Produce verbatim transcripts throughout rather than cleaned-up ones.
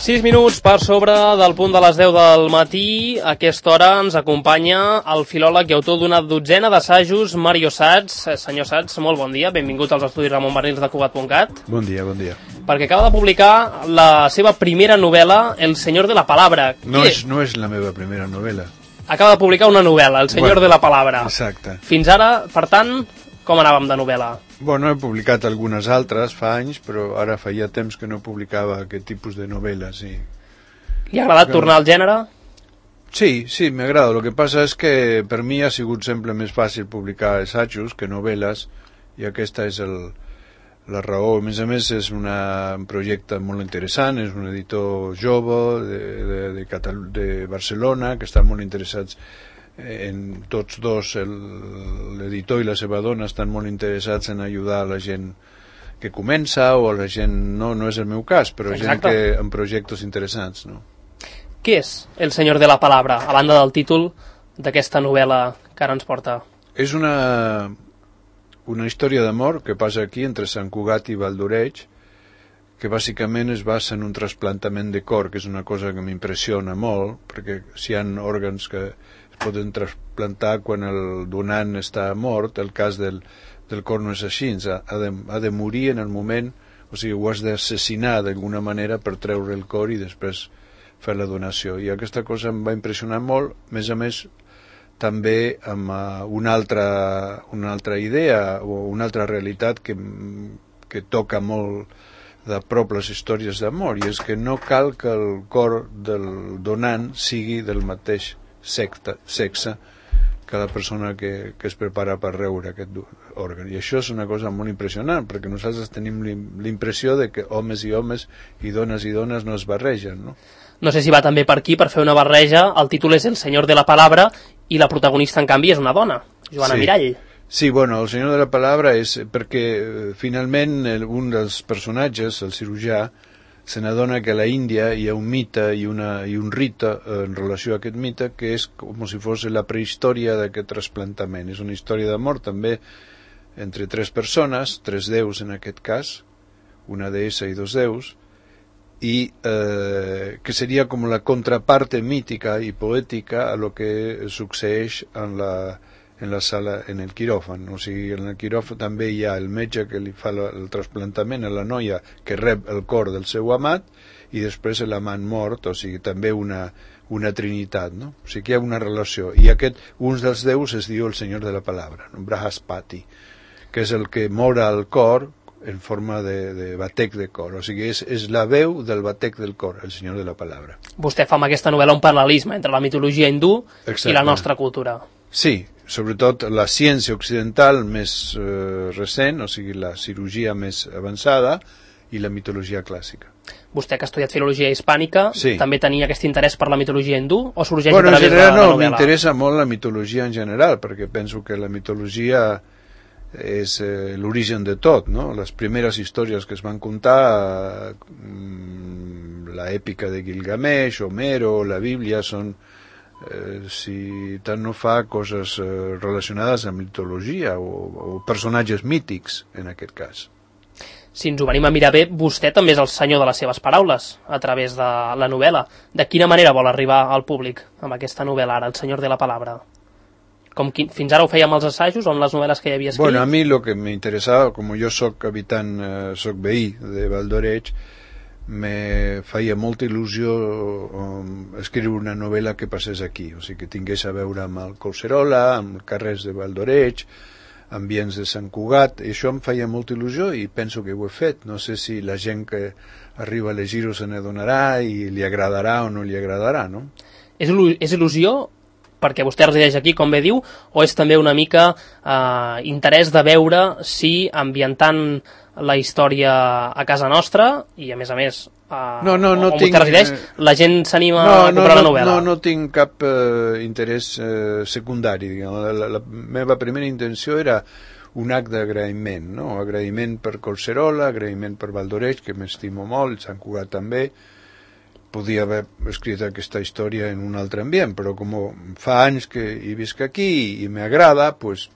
sis minuts per sobre del punt de les deu del matí. A aquesta hora ens acompanya el filòleg i autor d'una dotzena d'assajos, Mario Sats. Senyor Sats, molt bon dia, benvingut als estudis Ramon Barnils de Cugat punt cat. Bon dia, bon dia. Perquè acaba de publicar la seva primera novel·la, El Señor de la Palabra. No és, no és la meva primera novel·la. Acaba de publicar una novel·la, El Señor bueno, de la Palabra. Exacte. Fins ara, per tant, com anàvem de novel·la? Bueno, he publicat algunes altres fa anys, però ara feia temps que no publicava aquest tipus de novel·les. I... Li ha agradat tornar al gènere? Sí, sí, m'agrada. El que passa és que per mi ha sigut sempre més fàcil publicar assajos que novel·les, i aquesta és el, la raó. A més a més, és una, un projecte molt interessant, és un editor jove de, de, de, Catal de Barcelona, que estan molt interessats en tots dos, l'editor i la seva dona estan molt interessats en ajudar a la gent que comença o a la gent, no, no és el meu cas, però Exacte. Gent que amb projectes interessants, no? Què és El Señor de la Palabra, a banda del títol d'aquesta novel·la que ara ens porta? És una, una història d'amor que passa aquí entre Sant Cugat i Valdoreig, que bàsicament es basa en un trasplantament de cor, que és una cosa que m'impressiona molt, perquè si hi ha òrgans que poden trasplantar quan el donant està mort, el cas del, del cor no és així, ha, ha, de, ha de morir en el moment, o sigui, ho has d'assassinar d'alguna manera per treure el cor i després fer la donació. I aquesta cosa em va impressionar molt, a més a més, també amb uh, una, altra, una altra idea o una altra realitat que, que toca molt de prop les històries d'amor, i és que no cal que el cor del donant sigui del mateix Secta, sexe que la persona que, que es prepara per rebre aquest òrgan. I això és una cosa molt impressionant, perquè nosaltres tenim l'impressió de que homes i homes i dones i dones no es barregen, no? No sé si va també per aquí, per fer una barreja. El títol és El Señor de la Palabra i la protagonista, en canvi, és una dona, Joana sí. Mirall. Sí, bueno, El Señor de la Palabra és perquè finalment un dels personatges, el cirurgià, se n'adona que a la Índia hi ha un mite i, una, i un rite en relació a aquest mite que és com si fos la prehistòria d'aquest trasplantament. És una història d'amor també entre tres persones, tres déus en aquest cas, una deessa i dos déus, i eh, que seria com la contraparte mítica i poètica a lo que succeeix en la en la sala, en el quiròfan. O sigui, en el quiròfan també hi ha el metge que li fa el trasplantament a la noia que rep el cor del seu amat i després l'amant mort, o sigui, també una, una trinitat, no? O sigui que hi ha una relació. I aquest, un dels déus es diu el Senyor de la Palabra, no? Brahaspati, que és el que mora el cor en forma de, de batec de cor. O sigui, és, és la veu del batec del cor, el Senyor de la Palabra. Vostè fa amb aquesta novel·la un paral·lelisme entre la mitologia hindú Exacte. I la nostra cultura. Sí, sobretot la ciència occidental més eh, recent, o sigui, la cirurgia més avançada i la mitologia clàssica. Vostè, que ha estudiat filologia hispànica, sí. També tenia aquest interès per la mitologia hindú o sorgeix bueno, a través general, de la no, novel·la? M'interessa molt la mitologia en general, perquè penso que la mitologia és eh, l'origen de tot, no? Les primeres històries que es van contar, eh, la èpica de Gilgamesh, Homero, la Bíblia, són Eh, si tant no fa coses eh, relacionades amb mitologia o, o personatges mítics en aquest cas. Si ens ho venim a mirar bé, vostè també és el senyor de les seves paraules a través de la novel·la. De quina manera vol arribar al públic amb aquesta novel·la ara, El Senyor de la Palabra? Com qui, fins ara ho feia amb els assajos o amb les novel·les que hi havia escrit? Bueno, a mi lo que m'interessava, com jo soc habitant, eh, soc veí de Valdoreig, me feia molta il·lusió um, escriure una novel·la que passés aquí, o sigui que tingués a veure amb el Collserola, amb carrers de Valdoreig, ambients de Sant Cugat, i això em feia molta il·lusió i penso que ho he fet. No sé si la gent que arriba a llegir-ho se n'adonarà i li agradarà o no li agradarà, no? És, il·lu és il·lusió perquè vostè resideix aquí, com bé diu, o és també una mica eh, interès de veure si ambientant la història a casa nostra i a més a més eh, no, no, no on tinc, vostè resideix, la gent s'anima no, a comprar no, la novel·la? No, no tinc cap eh, interès eh, secundari, diguem. La, la, la meva primera intenció era un acte d'agraïment, no? Agraïment per Collserola, agraïment per Valdoreig, que m'estimo molt, Sant Cugat també. Podia haver escrit aquesta història en un altre ambient, però com fa anys que hi visc aquí i m'agrada, pues,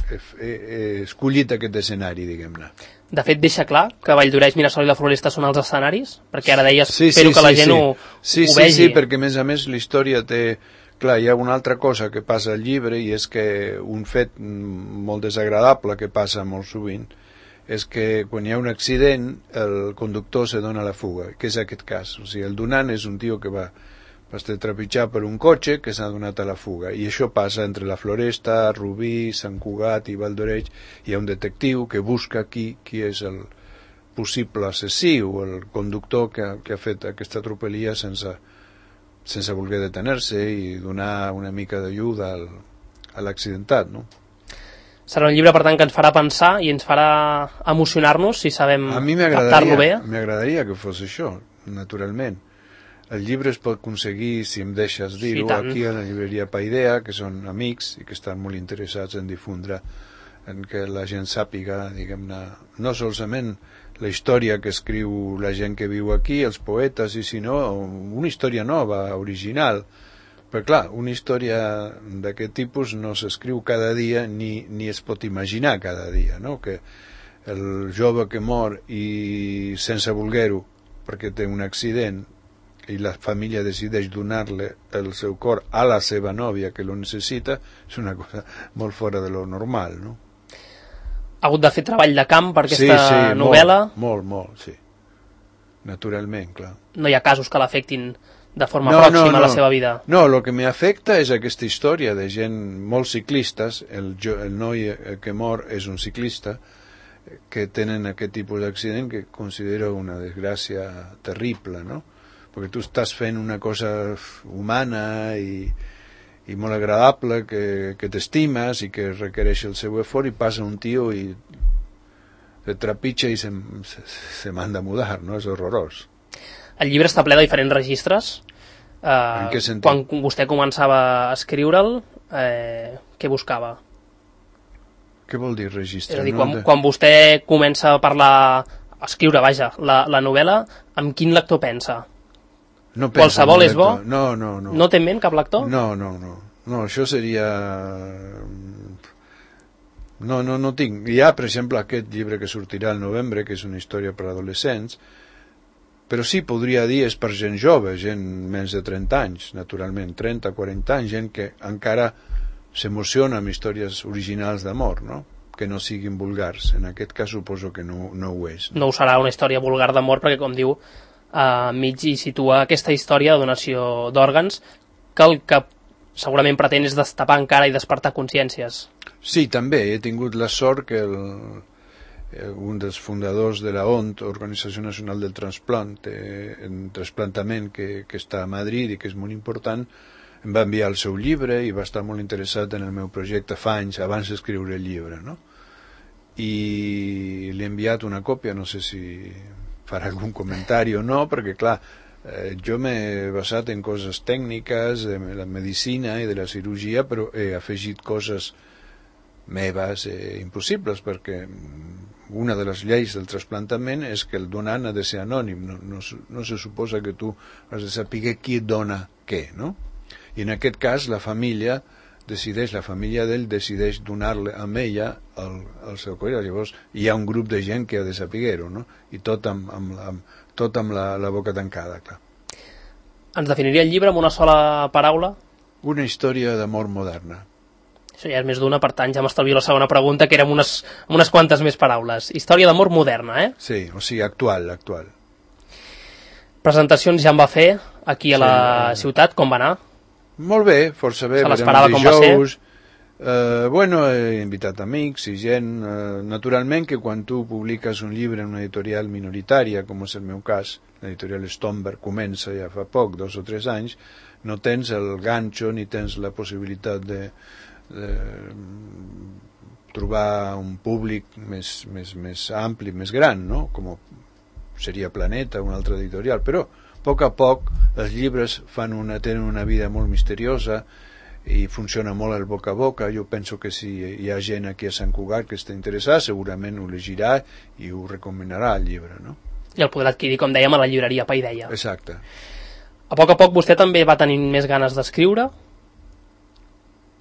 he, he, he escollit aquest escenari, diguem-ne. De fet, deixa clar que Valldoreix, Mirasol i la Floresta són els escenaris? Perquè ara deies, sí, espero sí, que la sí, gent sí. ho, sí, ho sí, vegi. Sí, perquè a més a més la història té... Clar, hi ha una altra cosa que passa al llibre i és que un fet molt desagradable que passa molt sovint és que quan hi ha un accident el conductor se dona la fuga, que és aquest cas. O sigui, el donant és un tio que va, va estar trepitjat per un cotxe que s'ha donat a la fuga. I això passa entre la Floresta, Rubí, Sant Cugat i Valldoreix. Hi ha un detectiu que busca qui, qui és el possible assassí o el conductor que, que ha fet aquesta atropellia sense, sense voler detener-se i donar una mica d'ajuda al, a l'accidentat, no? Serà un llibre, per tant, que ens farà pensar i ens farà emocionar-nos si sabem a mi captar-lo bé. m'agradaria que fos això, naturalment. El llibre es pot aconseguir, si em deixes dir-ho, sí, aquí a la llibreria Paidea, que són amics i que estan molt interessats en difondre, en que la gent sàpiga, diguem-ne, no solament la història que escriu la gent que viu aquí, els poetes, i sinó una història nova, original. Però clar, una història d'aquest tipus no s'escriu cada dia ni, ni es pot imaginar cada dia, no? Que el jove que mor i sense voler-ho perquè té un accident i la família decideix donar-li el seu cor a la seva nòvia que lo necessita, és una cosa molt fora de lo normal, no? Ha hagut de fer treball de camp per aquesta sí, sí, novel·la? Molt, molt, molt, sí. Naturalment, clar. No hi ha casos que l'afectin de forma no, pròxima no, no. a la seva vida? No, el que m'afecta és aquesta història de gent, molts ciclistes, el, el noi que mor és un ciclista, que tenen aquest tipus d'accident que considero una desgràcia terrible, no? Perquè tu estàs fent una cosa humana i, i molt agradable, que, que t'estimes i que requereix el seu esforç, i passa un tio i se trepitja i se, se, se manda a mudar, no? És horrorós. El llibre està ple de diferents registres. Eh, en què sentit? Quan vostè començava a escriure'l, eh, què buscava? Què vol dir registre? És a dir, no? quan, quan vostè comença a parlar, a escriure, vaja, la, la novel·la, amb quin lector pensa? No Qualsevol és bo? No, no, no. No té en ment cap lector? No, no, no. No, això seria... No, no, no tinc. Hi ha, per exemple, aquest llibre que sortirà al novembre, que és una història per adolescents, però sí, podria dir, és per gent jove, gent menys de trenta anys, naturalment, trenta, quaranta anys, gent que encara s'emociona amb històries originals d'amor, no? Que no siguin vulgars. En aquest cas suposo que no, no ho és. No? No ho serà una història vulgar d'amor, perquè, com diu, a mig hi situa aquesta història de donació d'òrgans, que el que segurament pretén és destapar encara i despertar consciències. Sí, també. He tingut la sort que el, un dels fundadors de la O N T, Organització Nacional del Transplant, eh, en trasplantament, que, que està a Madrid i que és molt important, em va enviar el seu llibre i va estar molt interessat en el meu projecte fa anys abans d'escriure el llibre, no? I li he enviat una còpia, no sé si farà algun comentari o no, perquè clar, eh, jo m'he basat en coses tècniques de la medicina i de la cirurgia, però he afegit coses meves eh, impossibles, perquè una de les lleis del trasplantament és que el donant ha de ser anònim, no, no, no se suposa que tu has de saber qui et dona què, no? I en aquest cas la família decideix, la família d'ell decideix donar-le a ella el, el seu cor. Llavors hi ha un grup de gent que ha de saber-ho, no? I tot amb, amb, amb, tot amb la, la boca tancada, clar. Ens definiria el llibre amb una sola paraula? Una història d'amor moderna. Això ja és més d'una, per tant ja m'estalvio la segona pregunta, que era amb unes, unes quantes més paraules. Història d'amor moderna, eh? Sí, o sigui, actual, actual. Presentacions ja en va fer aquí a la sí, ciutat, com va anar? Molt bé, força bé. Se l'esperava com va ser? Eh, bueno, he invitat amics i gent. Eh, naturalment que quan tu publiques un llibre en una editorial minoritària, com és el meu cas, l'editorial Stomberg comença ja fa poc, dos o tres anys, no tens el ganxo ni tens la possibilitat de, de trobar un públic més, més, més ampli, més gran, no? Com seria Planeta, una altra editorial, però a poc a poc els llibres fan una, tenen una vida molt misteriosa i funciona molt el boca a boca. Jo penso que si hi ha gent aquí a Sant Cugat que està interessada, segurament ho llegirà i ho recomanarà el llibre, no? I el podrà adquirir, com dèiem, a la llibreria Paideia. Exacte. A poc a poc vostè també va tenir més ganes d'escriure?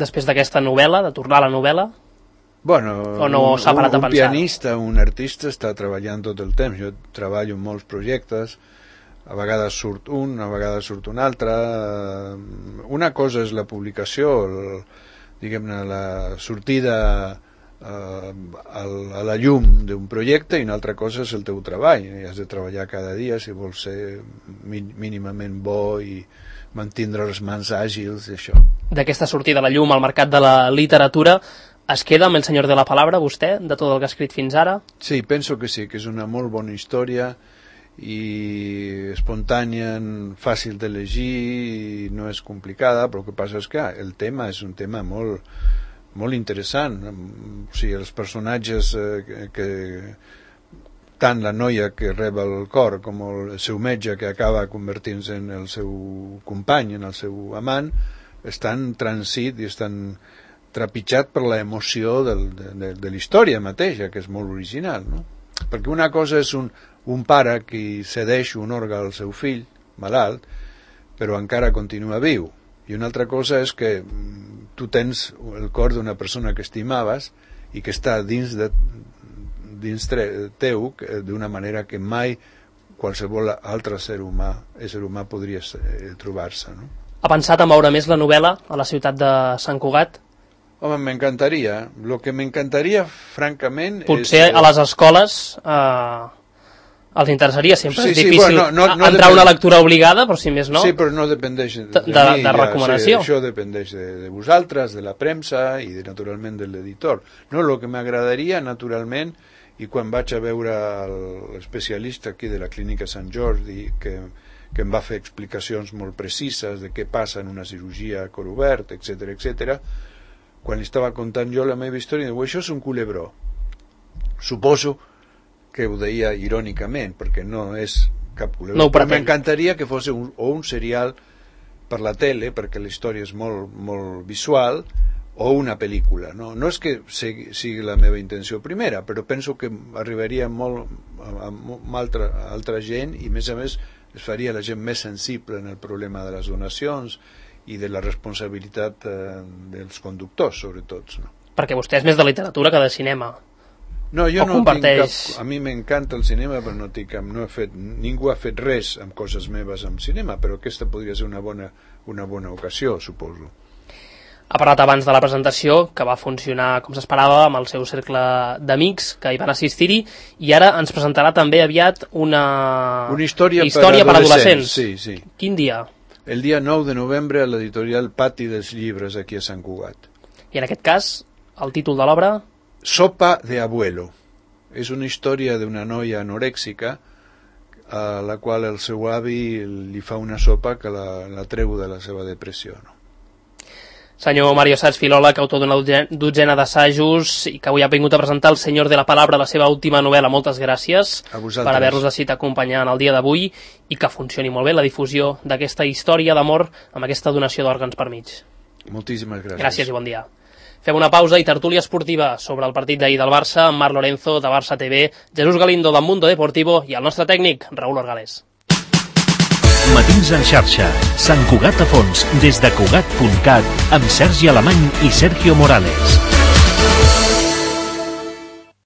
Després d'aquesta novel·la, de tornar a la novel·la? Bueno, o no un, s'ha parat a un pensar? pianista, un artista està treballant tot el temps. Jo treballo en molts projectes, a vegades surt un, a vegades surt un altre. Una cosa és la publicació, el, diguem-ne, la sortida eh, a la llum d'un projecte, i una altra cosa és el teu treball. I has de treballar cada dia si vols ser mínimament bo i mantindre les mans àgils i això. D'aquesta sortida a la llum al mercat de la literatura, es queda amb El senyor de la palabra, vostè, de tot el que ha escrit fins ara? Sí, penso que sí, que és una molt bona història i espontània, fàcil de llegir, i no és complicada, però el que passa és que el tema és un tema molt, molt interessant. O sigui, els personatges eh, que tant la noia que rep el cor com el seu metge que acaba convertint-se en el seu company, en el seu amant, estan transit i estan trepitjat per l'emoció del, de, de, de la història mateixa, que és molt original, no? Perquè una cosa és un, un pare que cedeix un òrgan al seu fill malalt, però encara continua viu, i una altra cosa és que tu tens el cor d'una persona que estimaves i que està dins, de, dins teu d'una manera que mai qualsevol altre ser humà, ésser humà podria trobar-se, no? Ha pensat en veure més la novel·la a la ciutat de Sant Cugat? Home, m'encantaria. Lo que m'encantaria, francament... Potser és, a les escoles eh, els interessaria, sempre sí, és sí, difícil bueno, no, no, no entrar depèn... una lectura obligada, però si més no... Sí, però no dependeix de, de, de, de, de recomanació. Ja, sí, això dependeix de, de vosaltres, de la premsa i de, naturalment de l'editor. No, el que m'agradaria, naturalment, i quan vaig a veure l'especialista aquí de la clínica Sant Jordi, que, que em va fer explicacions molt precises de què passa en una cirurgia a cor obert, etcètera, etcètera, quan li estava contant jo la meva història, diu, això és un culebró. Suposo que ho deia irònicament, perquè no és cap culebró. No, però m'encantaria que fos un, o un serial per la tele, perquè la història és molt, molt visual, o una pel·lícula. No, no és que sigui la meva intenció primera, però penso que arribaria molt a, a, a altra, a altra gent, i a més a més es faria la gent més sensible en el problema de les donacions i de la responsabilitat eh, dels conductors, sobretot. No? Perquè vostè és més de literatura que de cinema. No, jo o no comparteix... tinc cap... A mi m'encanta el cinema, però no tinc cap... No he fet... Ningú ha fet res amb coses meves amb cinema, però aquesta podria ser una bona, una bona ocasió, suposo. Ha parlat abans de la presentació, que va funcionar com s'esperava amb el seu cercle d'amics que hi van assistir-hi, i ara ens presentarà també aviat una, una història, història per, per adolescents. adolescents. Sí, sí. Quin dia? El dia nou de novembre a l'editorial Pati dels Llibres, aquí a Sant Cugat. I en aquest cas, el títol de l'obra? Sopa de abuelo. És una història d'una noia anorèxica a la qual el seu avi li fa una sopa que la, la treu de la seva depressió, no? Senyor Mario Sats, filòleg, autor d'una dotzena d'assajos i que avui ha vingut a presentar El senyor de la palabra, la seva última novel·la. Moltes gràcies per haver-nos decidit acompanyar en el dia d'avui i que funcioni molt bé la difusió d'aquesta història d'amor amb aquesta donació d'òrgans per mig. Moltíssimes gràcies. Gràcies i bon dia. Fem una pausa i tertúlia esportiva sobre el partit d'ahir del Barça amb Marc Lorenzo de Barça T V, Jesús Galindo del Mundo Deportivo i el nostre tècnic, Raúl Orgalés. Matins en xarxa, Sant Cugat a fons, des de Cugat punt cat, amb Sergi Alemany i Sergio Morales.